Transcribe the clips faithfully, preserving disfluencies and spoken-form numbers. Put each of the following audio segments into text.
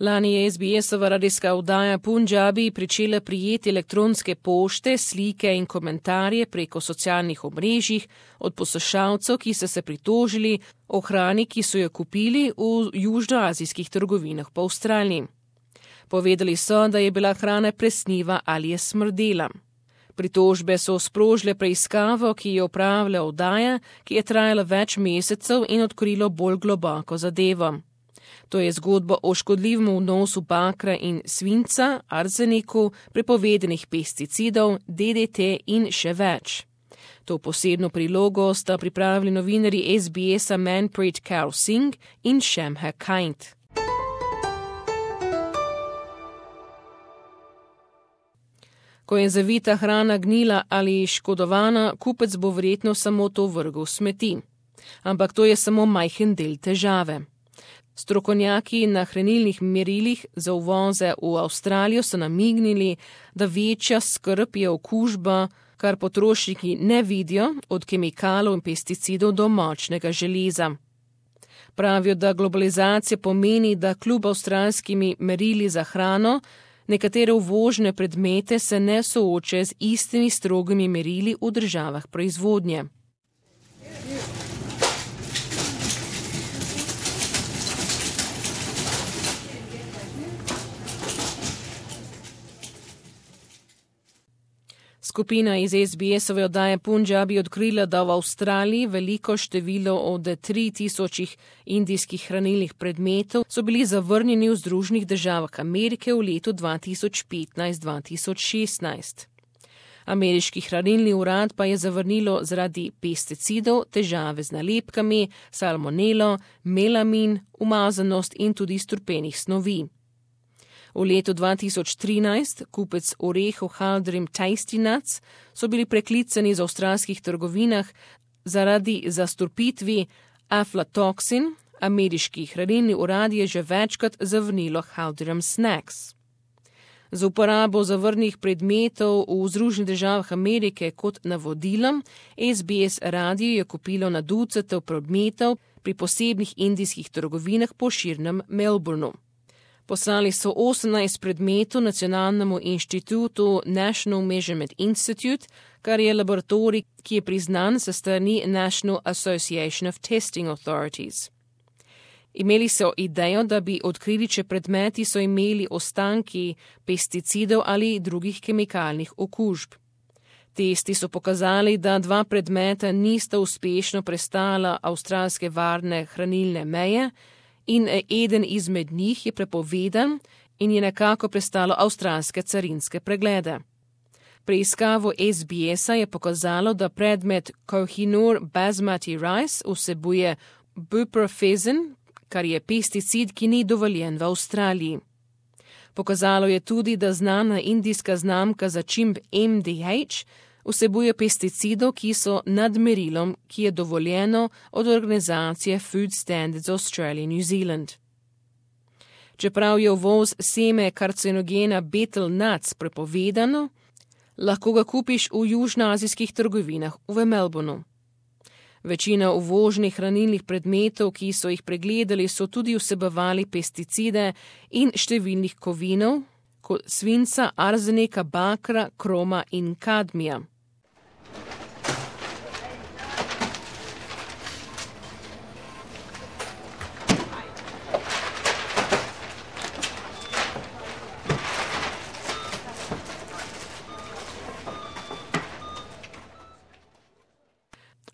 Lani je S B S-ova radijska oddaja Punjabi pričela prijeti elektronske pošte, slike in komentarje preko socialnih omrežjih od poslušalcev, ki so se pritožili o hrani, ki so jo kupili v južnoazijskih trgovinah po Avstraliji. Povedali so, da je bila hrana presniva ali je smrdela. Pritožbe so sprožile preiskavo, ki je opravila oddaja, ki je trajala več mesecev in odkrilo bolj globoko zadevo. To je zgodba o škodljivem vnosu bakra in svinca, arzeniku, prepovedanih pesticidov, D D T in še več. To posebno prilogo sta pripravili novinarji S B S-a Manpreet Kaur Singh in Shamha Kind. Ko je zavita hrana gnila ali škodovana, kupec bo verjetno samo to vrgel v smeti. Ampak to je samo majhen del težave. Strokovnjaki na hranilnih merilih za uvoze v Avstralijo so namignili, da večja skrb je okužba, kar potrošniki ne vidijo, od kemikalov in pesticidov do močnega železa. Pravijo, da globalizacija pomeni, da kljub avstralskimi merili za hrano, nekatere uvožene predmete se ne soočajo z istimi strogimi merili v državah proizvodnje. Skupina iz S B S-ove oddaje Punjabi odkrila, da v Avstraliji veliko število od tri tisočih indijskih hranilnih predmetov so bili zavrnjeni v Združenih državah Amerike v letu dva tisoč petnajst dva tisoč šestnajst. Ameriški hranilni urad pa je zavrnilo zaradi pesticidov, težave z nalepkami, salmonelo, melamin, umazanost in tudi strupenih snovi. V letu dva tisoč trinajst kupec orehov Halderim Tasty Nuts so bili preklicani z avstralskih trgovinah zaradi zastrupitvi aflatoxin. Ameriški hranilni urad je že večkrat zavrnilo Halderim Snacks. Z uporabo zavrnih predmetov v Združenih državah Amerike kot navodilom S B S radio je kupilo na ducate predmetov pri posebnih indijskih trgovinah po širnem Melbourneu. Poslali so osemnajst predmetov Nacionalnemu inštitutu National Measurement Institute, kar je laboratorij, ki je priznan sa strani National Association of Testing Authorities. Imeli so idejo, da bi odkrili, če predmeti so imeli ostanki pesticidov ali drugih kemikalnih okužb. Testi so pokazali, da dva predmeta nista uspešno prestala avstralske varne hranilne meje, in eden izmed njih je prepovedan in je nekako prestalo avstralske carinske preglede. Preiskavo S B S-a je pokazalo, da predmet Kohinoor basmati rice vsebuje buprofezin, kar je pesticid, ki ni dovoljen v Avstraliji. Pokazalo je tudi, da znana indijska znamka začimb M D H vsebuje pesticidov, ki so nad merilom, ki je dovoljeno od organizacije Food Standards Australia New Zealand. Čeprav je uvoz seme karcinogena betel nuts prepovedano, lahko ga kupiš v južnoazijskih trgovinah v Melbourneu. Večina uvoženih hranilnih predmetov, ki so jih pregledali, so tudi vsebovali pesticide in številnih kovinov, kot svinca, arzenika, bakra, kroma in kadmija.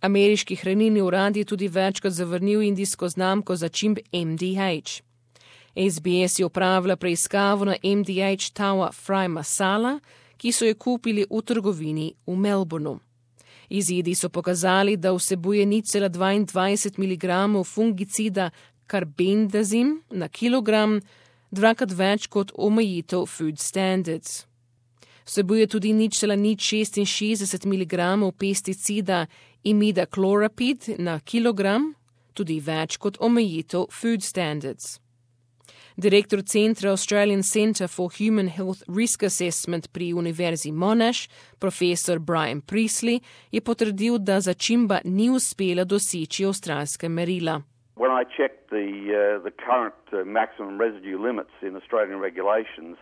Ameriški hranilni urad je tudi večkrat zavrnil indijsko znamko začimb M D H. S B S je opravila preiskavo na M D H Tawa Fry Masala, ki so jo kupili v trgovini v Melbourneu. Izidi so pokazali, da vsebuje nič cela dvaindvajset miligramov fungicida carbendazim na kilogram, dvakrat več kot omejitev Food Standards. Vsebuje tudi nič cela nič šestinšestdeset miligramov pesticida imidacloprid na kilogram, tudi več kot omejitev Food Standards. Direktor centra Australian Centre for Human Health Risk Assessment pri Univerzi Monash, profesor Brian Priestley, je potrdil, da začimba ni uspela doseči avstralska merila. When I checked the uh, the current uh, maximum residue limits in Australian regulations,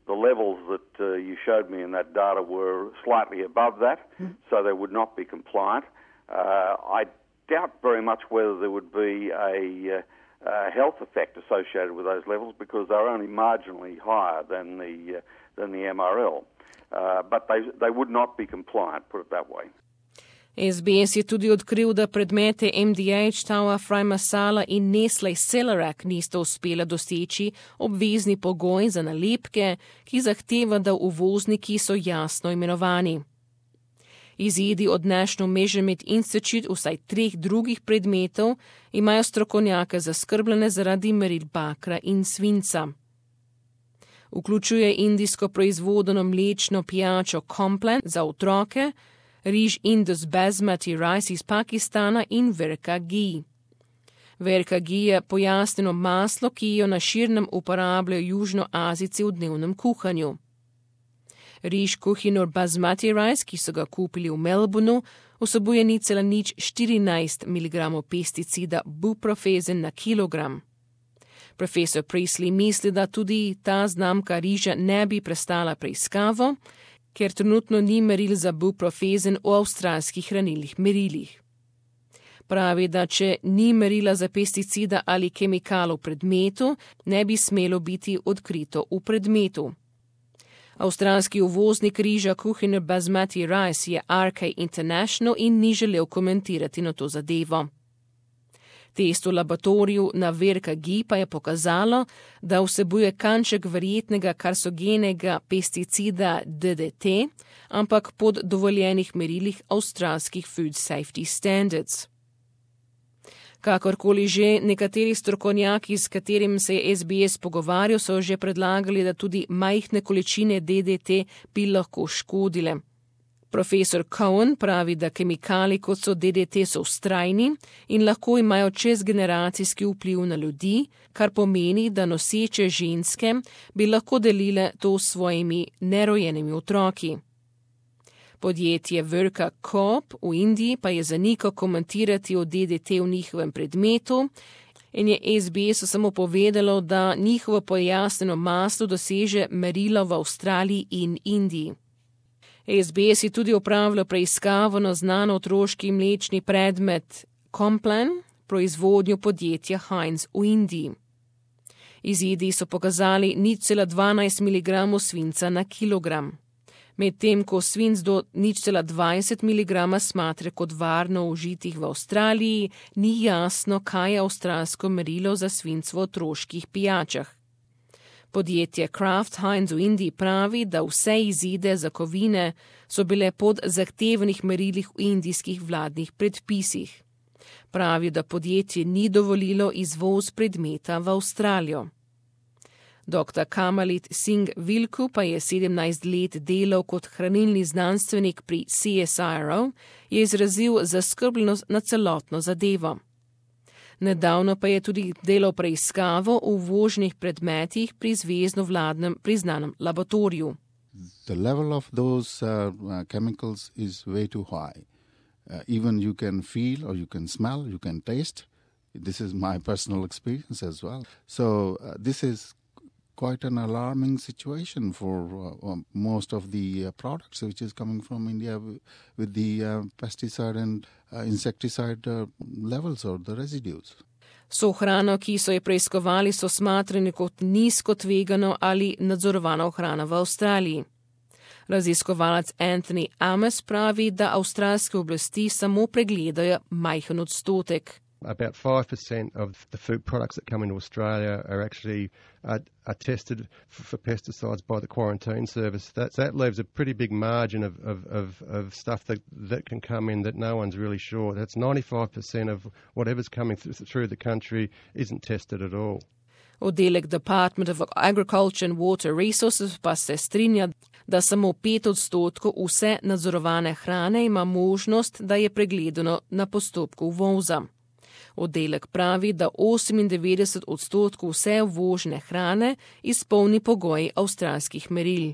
the levels that uh, you showed me in that data were slightly above that, mm. so they would not be compliant. Uh, I doubt very much whether there would be a, uh, a health effect associated with those levels because they're only marginally higher than the uh, than the M R L. Uh, but they they would not be compliant, put it that way. S B S je tudi odkril, da predmete M D H, Taua, Fry Masala in Nestle Celerac nista uspela doseči obvezni pogoj za nalepke, ki zahteva, da uvozniki so jasno imenovani. Izidi od National Measurement Institute vsaj treh drugih predmetov imajo strokovnjake zaskrbljene zaradi meril bakra in svinca. Vključuje indijsko proizvodeno mlečno pijačo Complan za otroke, riž Indus Basmati rice iz Pakistana in Verka ghee. Verka ghee je pojasnjeno maslo, ki jo na širnem uporabljajo južnoazijci v dnevnem kuhanju. Riž Kohinoor Basmati rice, ki so ga kupili v Melbourneu, vsebuje nič cela nič štirinajst miligramov pesticida buprofezen na kilogram. Profesor Priestley misli, da tudi ta znamka riža ne bi prestala preiskavo, ker trenutno ni meril za buprofezen v avstralskih hranilnih merilih. Pravi, da če ni merila za pesticida ali kemikalov v predmetu, ne bi smelo biti odkrito v predmetu. Avstralski uvoznik riža Kohinoor Basmati rice je R K International in ni želel komentirati na to zadevo. Test v laboratoriju na Verka ghee pa je pokazalo, da vsebuje kanček verjetnega karsogenega pesticida D D T, ampak pod dovoljenih merilih avstralskih Food Safety Standards. Kakorkoli že, nekateri strokovnjaki, s katerim se je S B S pogovarjal, so že predlagali, da tudi majhne količine D D T bi lahko škodile. Profesor Cohen pravi, da kemikali kot so D D T so vztrajni in lahko imajo čezgeneracijski vpliv na ljudi, kar pomeni, da noseče ženske bi lahko delile to s svojimi nerojenimi otroki. Podjetje Verka Coop v Indiji pa je zanikal komentirati o D D T v njihovem predmetu in je S B S samo povedalo, da njihovo pojasnjeno maslo doseže merilo v Avstraliji in Indiji. S B S je tudi opravljal preiskavo na znan otroški mlečni predmet Complan, proizvodnjo podjetja Heinz v Indiji. Izidi so pokazali nič cela dvanajst miligramov svinca na kilogram. Medtem ko svinc do nič cela dvajset miligrama smatra kot varno užitih v Avstraliji, ni jasno, kaj je avstralsko merilo za svinc v otroških pijačah. Podjetje Kraft Heinz v Indiji pravi, da vse izide za kovine so bile pod zahtevnih merilih v indijskih vladnih predpisih. Pravi, da podjetje ni dovolilo izvoz predmeta v Avstralijo. doktor Kamalit Singh Vilku pa je sedemnajst let delal kot hranilni znanstvenik pri C S I R O, je izrazil zaskrbljenost na celotno zadevo. Nedavno pa je tudi delal preiskavo v uvoženih predmetih pri zvezno vladnem priznanem laboratoriju. The level of those uh, uh, chemicals is way too high. Uh, even you can feel or you can smell, you can taste. This is my personal experience as well. So uh, this is quite an alarming situation for uh, um, most of the uh, products which is coming from India w- with the uh, pesticide and uh, insecticide uh, levels or the residues. So hrano, ki so je preiskovali, so smatrani kot nizko tvegano ali nadzorovano hrana v Avstraliji. Raziskovalec Anthony Ames pravi, da avstralske oblasti samo pregledajo majhen odstotek. About five percent of the food products that come into Australia are actually uh, are tested for, for pesticides by the quarantine service. That, that leaves a pretty big margin of, of, of, of stuff that, that can come in that no one's really sure. That's ninety-five percent of whatever's coming th- through the country isn't tested at all. Oddelek Department of Agriculture and Water Resources pa se strinja, da samo pet odstotkov vse nadzorovane hrane ima možnost, da je pregledano na postopku uvoza. Oddelek pravi, da osemindevetdeset odstotkov vse uvožene hrane izpolni pogoji avstralskih meril.